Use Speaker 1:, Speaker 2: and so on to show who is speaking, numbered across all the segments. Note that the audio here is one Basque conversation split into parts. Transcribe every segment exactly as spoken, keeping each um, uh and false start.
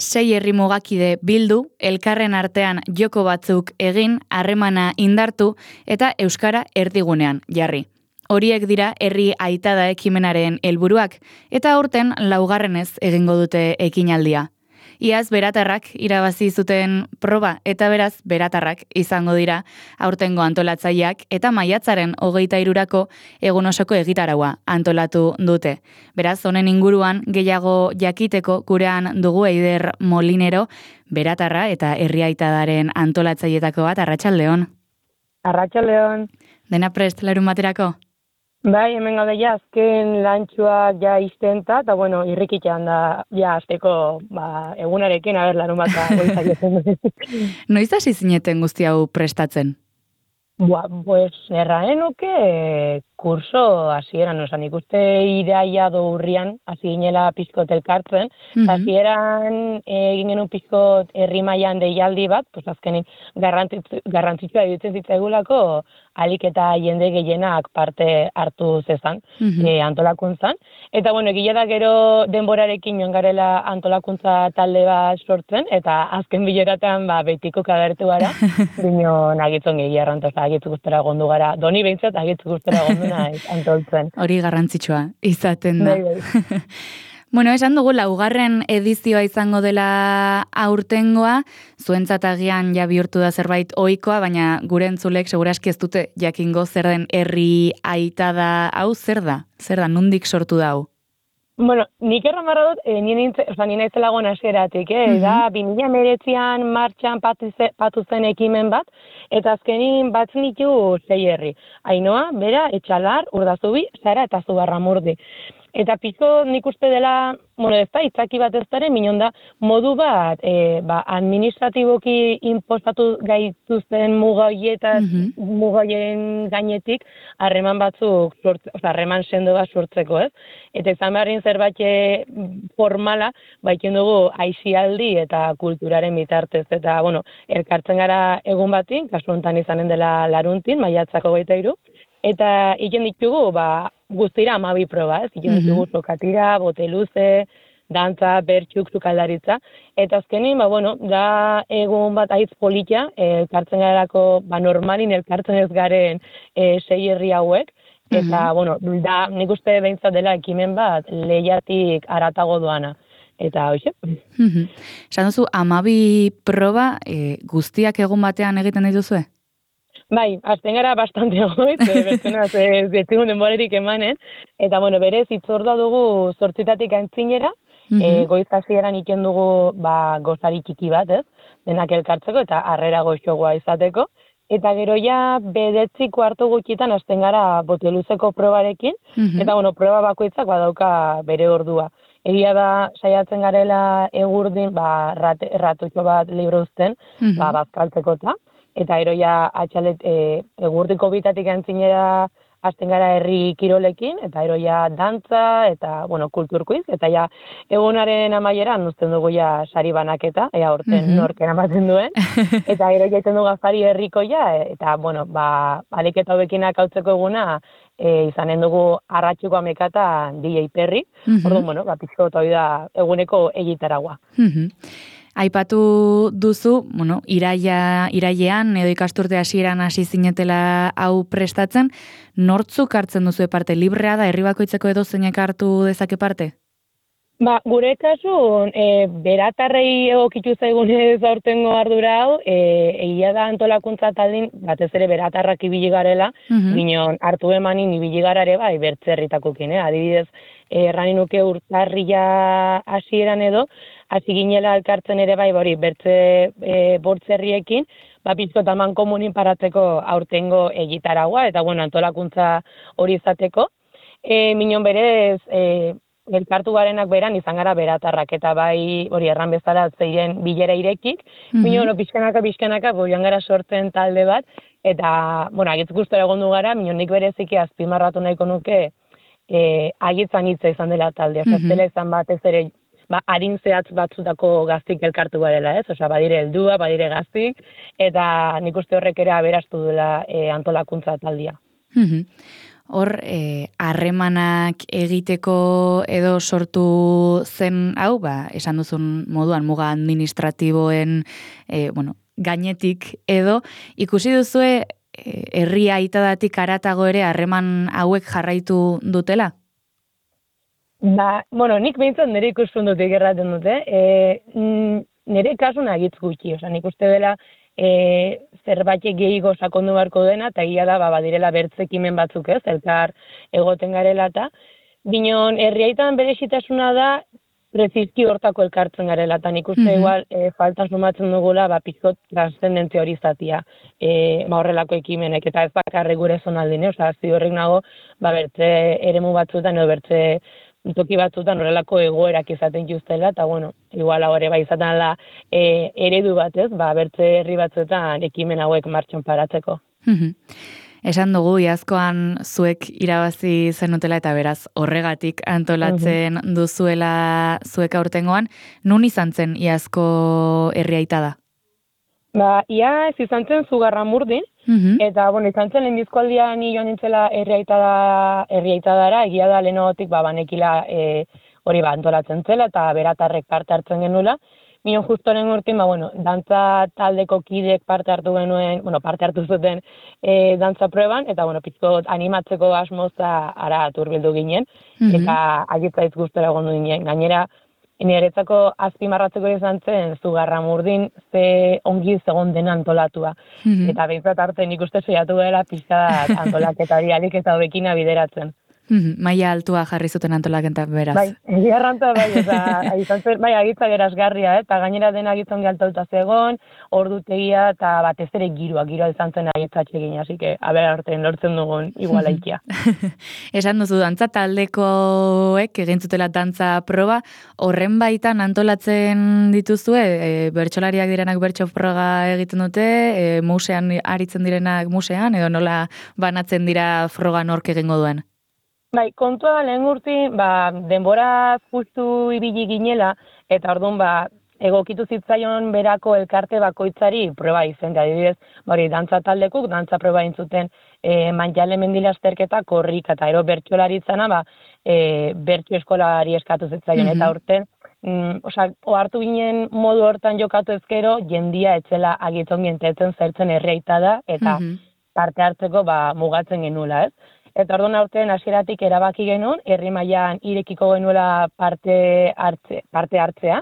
Speaker 1: Sei herri mugakide bildu, elkarren artean joko batzuk egin, harremana indartu eta euskara erdigunean jarri. Horiek dira herri aitada ekimenaren helburuak eta aurten laugarrenez egingo dute ekinaldia. Iaz beratarrak irabazi zuten proba eta beraz beratarrak izango dira aurtengo antolatzaileak eta maiatzaren hogeita hirurako egun osoko egitaraua antolatu dute. Beraz, honen inguruan gehiago jakiteko gurean dugu Eider Molinero, beratarra eta herri aitadaren antolatzailetako bat. Arratsaldeon.
Speaker 2: Arratsaldeon.
Speaker 1: Dena prest larun baterako?
Speaker 2: Bai, hemen gaude ja, azken lantxuak ja iztenta, eta bueno, irrikitan da ja azteko ba, egunarekin, aber, larun bat goizaietzen.
Speaker 1: Noiz hasi zineten guzti hau prestatzen?
Speaker 2: Bua, pues, erraen nuke kurso hasieran, osan ikuste iraia do urrian, hasi ginela pizkot elkartzen,
Speaker 1: Mhm.
Speaker 2: hasieran egin genuen pizkot herri mailan deialdi bat, pues azkenik garrantzitsu- garrantzitsua iruditzen zitzaigulako alik eta jende gehienak parte hartu zezan,
Speaker 1: Mhm.
Speaker 2: eh, antolakuntzan. Eta bueno, egia da gero denborarekin joan garela antolakuntza talde bat sortzen, eta azken bileratan ba, betiko kagertu gara, bino nagitzen gehiago arrantoza, agitzu guztera gondu gara, doni behintzat agitzu guztera gondu naiz antoltzen.
Speaker 1: Hori garrantzitsua izaten da.
Speaker 2: Bai, bai.
Speaker 1: Bueno, esan dugu laugarren edizioa izango dela aurtengoa, zuentzat agian ja bihurtu da zerbait ohikoa, baina gure entzulek seguraski ez dute jakingo zer den herri aitada hau, zer da? Zer da, nondik sortu da hau?
Speaker 2: Bueno, nik erran barra dut, eh, nien nintze, oza, nien naizela gona hasieratik, eh?
Speaker 1: Mhm.
Speaker 2: Da, bi mila hemeretzian martxan patu, ze, patu zen ekimen bat, eta azkenin bat nitu sei herri. Ainoa, Bera, Etxalar, Urdazubi, Zara eta Zugarramurdi. Eta pizko nik uste dela, bueno, ez da, itzaki bat ez daren, minon da, modu bat, e, ba, administratiboki inpostatu gaituzten mugaietas,
Speaker 1: Mhm.
Speaker 2: mugaien gainetik, harreman batzuk, sortze, oza, harreman sendo bat sortzeko, ez? Eta izan beharrin zerbait e, formala, baikin dugu aisialdi eta kulturaren bitartez. Eta, bueno, elkartzen gara egun batin, kasu honetan izanen dela laruntin, maiatzako hogeita hiru, eta egin ditugu, ba, guztira hamabi proba, ez? Egin ditugu sokatira, bote luze, dantza, bertxuk, sukaldaritza, eta azkenin, ba, bueno, da egun bat aiz politia, elkartzen garako, ba, normalin elkartzen ez garen e, sei herri hauek, eta, bueno, da, nik uste behintzat dela ekimen bat, lehiatik aratago doana. Eta, hoxe?
Speaker 1: Mhm. Esan duzu, hamabi proba e, guztiak egun batean egiten dituzue?
Speaker 2: Bai, azten gara bastante goiz, bertzenaz ez detzigun denborerik emanen, eta bueno, berez itzordua dugu zortzitatik antzinera, e, goiz hasieran iken dugu ba, gozari txiki bat, ez? Denak elkartzeko eta harrera goxogoa izateko, eta gero ja bedetziko hartu gutxitan azten gara boteluzeko probarekin, eta bueno, proba bakoitzak badauka bere ordua. Egia da, saiatzen garela egurdin, ba, rat, ratutxo bat libro uzten, ba, bazkaltzeko eta, eta ero ja atxalet e, egurdiko bitatik antzinera hasten gara herri kirolekin, eta ero ja dantza, eta, bueno, kulturkuiz, eta ja egunaren amaieran uzten dugu ja sari banaketa, ea horten
Speaker 1: Mhm.
Speaker 2: norken amaten duen, eta gero jaiten dugu afari herriko ja, eta, bueno, ba, aliketa hobekinak hautzeko eguna, e, izanen dugu arratxuko amekata D J Perry,
Speaker 1: Mhm.
Speaker 2: orduan, bueno, ba, pizko hori da eguneko egitaragua.
Speaker 1: Mhm. Aipatu duzu, bueno, iraia, irailean edo ikasturte hasieran hasi zinetela hau prestatzen, nortzuk hartzen duzu parte? Librea da, herri bakoitzeko edo zeinek hartu dezake parte?
Speaker 2: Ba, gure kasun, e, beratarrei egokitu zaigunez aurtengo ardura hau, e, egia da antolakuntza taldin, batez ere beratarrak ibili garela,
Speaker 1: Mhm.
Speaker 2: ginon hartu emanin ibili gara ere bai, bertzerritakokin, eh? Adibidez, errani nuke urtarria hasieran edo, hasi ginela elkartzen ere bai, hori, bertze e, bortzerriekin, ba, pizko taman komunin paratzeko aurtengo egitaragua, eta bueno, antolakuntza hori izateko. E, minon berez, e, elkartu garenak beran izan gara beratarrak, eta bai, hori erran bezala zeiren bilera irekik,
Speaker 1: Mhm.
Speaker 2: minon, bueno, pixkanaka, pixkanaka, bo, joan gara sortzen talde bat, eta, bueno, agitz guztora egondu gara, minon nik bereziki azpimarratu nahiko nuke, e, agitzan hitza izan dela talde,
Speaker 1: Mhm.
Speaker 2: oza, zela izan batez ere, ba, harin zehatz batzutako gaztik elkartu garela, ez? Osea, badire heldua, badire gaztik, eta nik uste horrek ere aberastu dela e, antolakuntza taldia.
Speaker 1: Mhm. hor, harremanak egiteko edo sortu zen hau, ba, esan duzun moduan muga administratiboen, e, bueno, gainetik edo, ikusi duzue herri aitadatik aratago ere harreman hauek jarraitu dutela?
Speaker 2: Ba, bueno, nik behintzat nire ikuspuntutik erraten dute. E, nire kasun agitz gutxi, oza, nik uste dela e, zerbait gehiago sakondu beharko dena, eta egia da, ba, badirela bertzekimen batzuk ez, elkar egoten garela eta. Binon, herri aitan berezitasuna da, prezizki hortako elkartzen garela, eta nik uste mm-hmm. igual e, faltan sumatzen dugula, ba, pizkot transcendentzia hori zatia, e, ba, horrelako ekimenek, eta ez bakarrik gure zonaldine, oza, zi horrek nago, ba, bertze eremu batzuetan, edo bertze toki batzuetan horrelako egoerak izaten justela, eta bueno, igual hori ba izaten la e, eredu batez, ba, bertze herri batzuetan ekimen hauek martxan paratzeko.
Speaker 1: Esan dugu, iazkoan zuek irabazi zenutela eta beraz horregatik antolatzen uh-huh. duzuela zuek aurtengoan. Nun izan zen iazko herri aitada?
Speaker 2: Ba, ia ez izan zen Zugarramurdin, uh-huh. eta bueno, izan zen lehenbizko aldia ni joan nintzela herri aitada, herri aitadara, egia da lehenotik ba, banekila e, hori ba, antolatzen zela eta beratarrek parte hartzen genuela. Minon justoren urtin, ba, bueno, dantza taldeko kidek parte hartu genuen, bueno, parte hartu zuten e, dantza proban, eta, bueno, pizko animatzeko asmoza ara turbildu ginen, mm-hmm. eta agitza ez guztora gondu ginen. Gainera, niretzako azpimarratzeko izan zen, Zugarramurdin ze ongi zegoen dena antolatua. Mm-hmm. Eta behintzat arte nik uste saiatu dela pizka antolaketari alik eta hobekina bideratzen.
Speaker 1: Maila altua jarri zuten antolaketa beraz.
Speaker 2: Bai, egiarranta bai, eta izan zen, bai, agitza gerazgarria, eh? Eta gainera dena agitzen gehaltauta zegoen, ordutegia, eta batez ere giroa, giroa izan zen agitzatxe egin, hasi que, aber artean lortzen dugun iguala ikia.
Speaker 1: Esan duzu, dantza taldekoek egin zutela dantza proba, horren baitan antolatzen dituzue, e, bertsolariak direnak bertso froga egiten dute, e, musean aritzen direnak musean, edo nola banatzen dira froga nork egingo duen?
Speaker 2: Bai, kontua lehen urti, ba, denbora justu ibili ginela, eta orduan, ba, egokitu zitzaion berako elkarte bakoitzari proba izen, adibidez, hori dantza taldekuk, dantza proba intzuten e, Manjale Mendila azterketa korrika, eta ero bertsolaritzana, ba, e, bertso eskolari eskatu zitzaion, mm-hmm. eta urten, mm, oza, ohartu ginen modu hortan jokatu ezkero, jendia etzela agitzen gientetzen zertzen herriaitada, eta mm-hmm. parte hartzeko, ba, mugatzen genula, ez? Eta orduan aurten hasieratik erabaki genuen, herri mailan irekiko genuela parte, hartze, parte hartzea,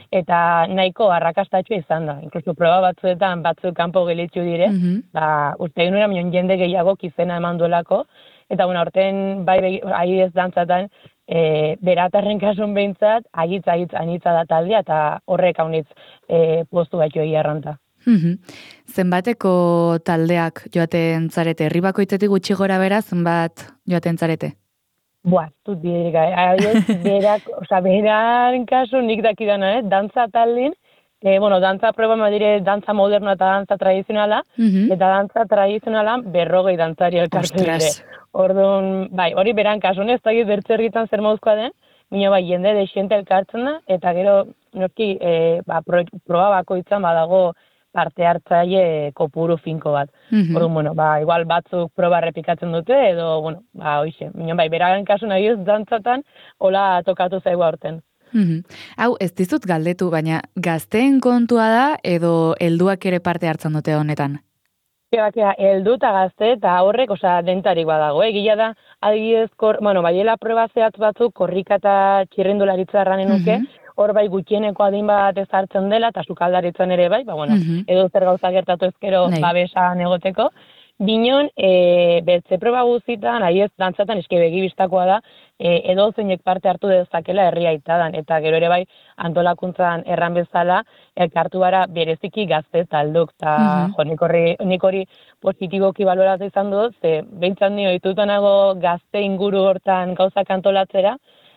Speaker 2: eta nahiko arrakastatxua izan da. Inkluso proba batzuetan batzuk kanpo gelitzu dire, mm-hmm. ba, uste genuenamion jende gehiago izena eman duelako, eta bueno, aurten bai ahi ez dantzatan, e, beratarren kasun behintzat, agitz, agitz, anitza da taldea, eta horrek haunitz e, postu batxo egiarranta.
Speaker 1: Mm-hmm. Zenbateko taldeak joaten zarete? Herri bakoitzetik gutxi gora bera, zenbat joaten zarete?
Speaker 2: Boa, zut biderik, adiez, berak, oza, beran kasu nik dakidana, eh? Dantza taldin, e, bueno, dantza proba madire dantza modernoa eta dantza tradizionala, mm-hmm. eta dantza tradizionala berrogei dantzari elkartu dire. Orduan, bai, hori beran kasu, ez da bertzerritan zer mauzkoa den, Mino bai, jende desiente elkartzen da, eta gero, noski, e, ba, pro, proba bakoitzan badago parte hartzaile kopuru finko bat. Mm-hmm. Orduan, bueno, ba, igual batzuk proba repikatzen dute, edo, bueno, ba, hoxe, mino bai, beragen kasu nahi ez dantzatan, hola tokatu zaigu aurten.
Speaker 1: Mm-hmm. Hau, ez dizut galdetu, baina gazteen kontua da, edo helduak ere parte hartzen dute honetan?
Speaker 2: Bakea, heldu eta gazte, eta horrek, osea, dentarik badago, egila da, adibidez, kor, bueno, baiela proba zehatz batzuk, korrika eta txirrindularitza erranen nuke, mm-hmm. hor bai gutxieneko adin bat ez hartzen dela, eta sukaldaritzen ere bai, ba, bueno, mm-hmm. edo zer gauza gertatu ezkero Nei. babesan egoteko. Binon, e, bertze proba guztitan, ahi ez dantzatan eski begibistakoa da, e, edo zeinek parte hartu dezakela herria aitadan, eta gero ere bai antolakuntzan erran bezala, elkartu gara bereziki gazte talduk, eta mm-hmm. jo, nik hori, nik hori positiboki baloratu izan dut, ze behintzat nio ditutanago gazte inguru hortan gauzak antolatzera,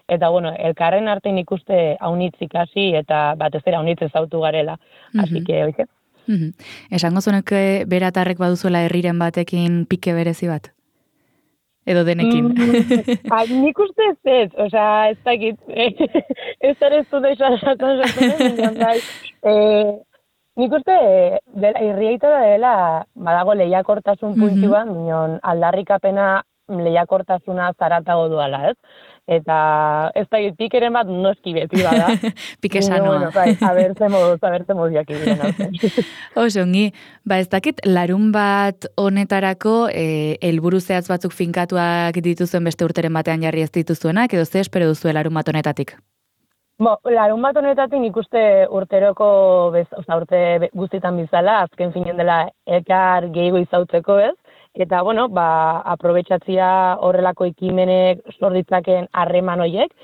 Speaker 2: eta bueno, elkarren arte nik uste haunitz ikasi, eta batez ere haunitz ezautu garela, mm-hmm. así que, oike.
Speaker 1: Mm-hmm. Esango zunek beratarrek baduzuela herriren batekin pike berezi bat? Edo denekin?
Speaker 2: Mm, a, nik uste ez ez, osea, ez dakit, ez ere ez dut esan zaten, bai, nik uste herriaita da dela, badago lehiakortasun puntxuan, mm-hmm. aldarrikapena lehiakortasuna zaratago duala, ez? Eta ez da, pikeren bat noski beti bada.
Speaker 1: Pike sanoa.
Speaker 2: Bueno, bai, abertze moduz, abertze moduak ibilen.
Speaker 1: Oso, ongi, ba ez dakit, larun bat honetarako eh, helburu zehatz batzuk finkatuak dituzuen beste urteren batean jarri ez dituzuenak, edo ze espero duzu larun bat honetatik?
Speaker 2: Bo, larun bat honetatik nik uste urteroko, bez, oza, urte guztietan bizala, azken finen dela elkar gehiago izautzeko ez, eta, bueno, ba, aprobetxatzia horrelako ekimenek sorditzaken harreman hoiek,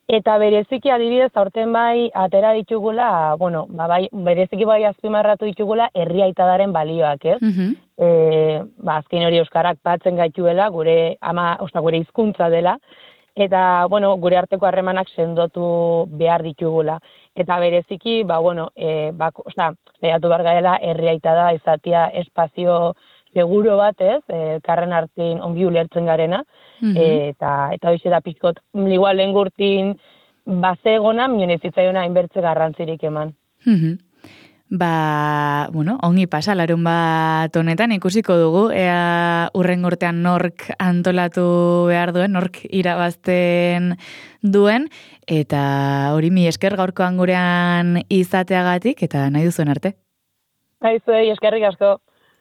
Speaker 2: eta bereziki adibidez, aurten bai, atera ditugula, bueno, ba, bai, bereziki bai azpimarratu ditugula herri aitadaren balioak, ez?
Speaker 1: Mhm.
Speaker 2: E, ba, azken hori euskarak batzen gaituela, gure ama, osta, gure hizkuntza dela, eta, bueno, gure arteko harremanak sendotu behar ditugula. Eta bereziki, ba, bueno, e, ba, osta, zehatu behar gaela herri aitada izatea espazio seguro bat, ez, e, karren artin ongi ulertzen garena,
Speaker 1: Mhm.
Speaker 2: e, eta eta hoxe da pizkot, igual lehen gurtin bazegona, minen ez zitzaiona inbertze garrantzirik eman.
Speaker 1: Mhm. Ba, bueno, ongi pasa, larun bat honetan ikusiko dugu, ea urren urtean nork antolatu behar duen, nork irabazten duen, eta hori mi esker gaurkoan gurean izateagatik, eta nahi duzuen arte.
Speaker 2: Aizuei, eskerrik asko.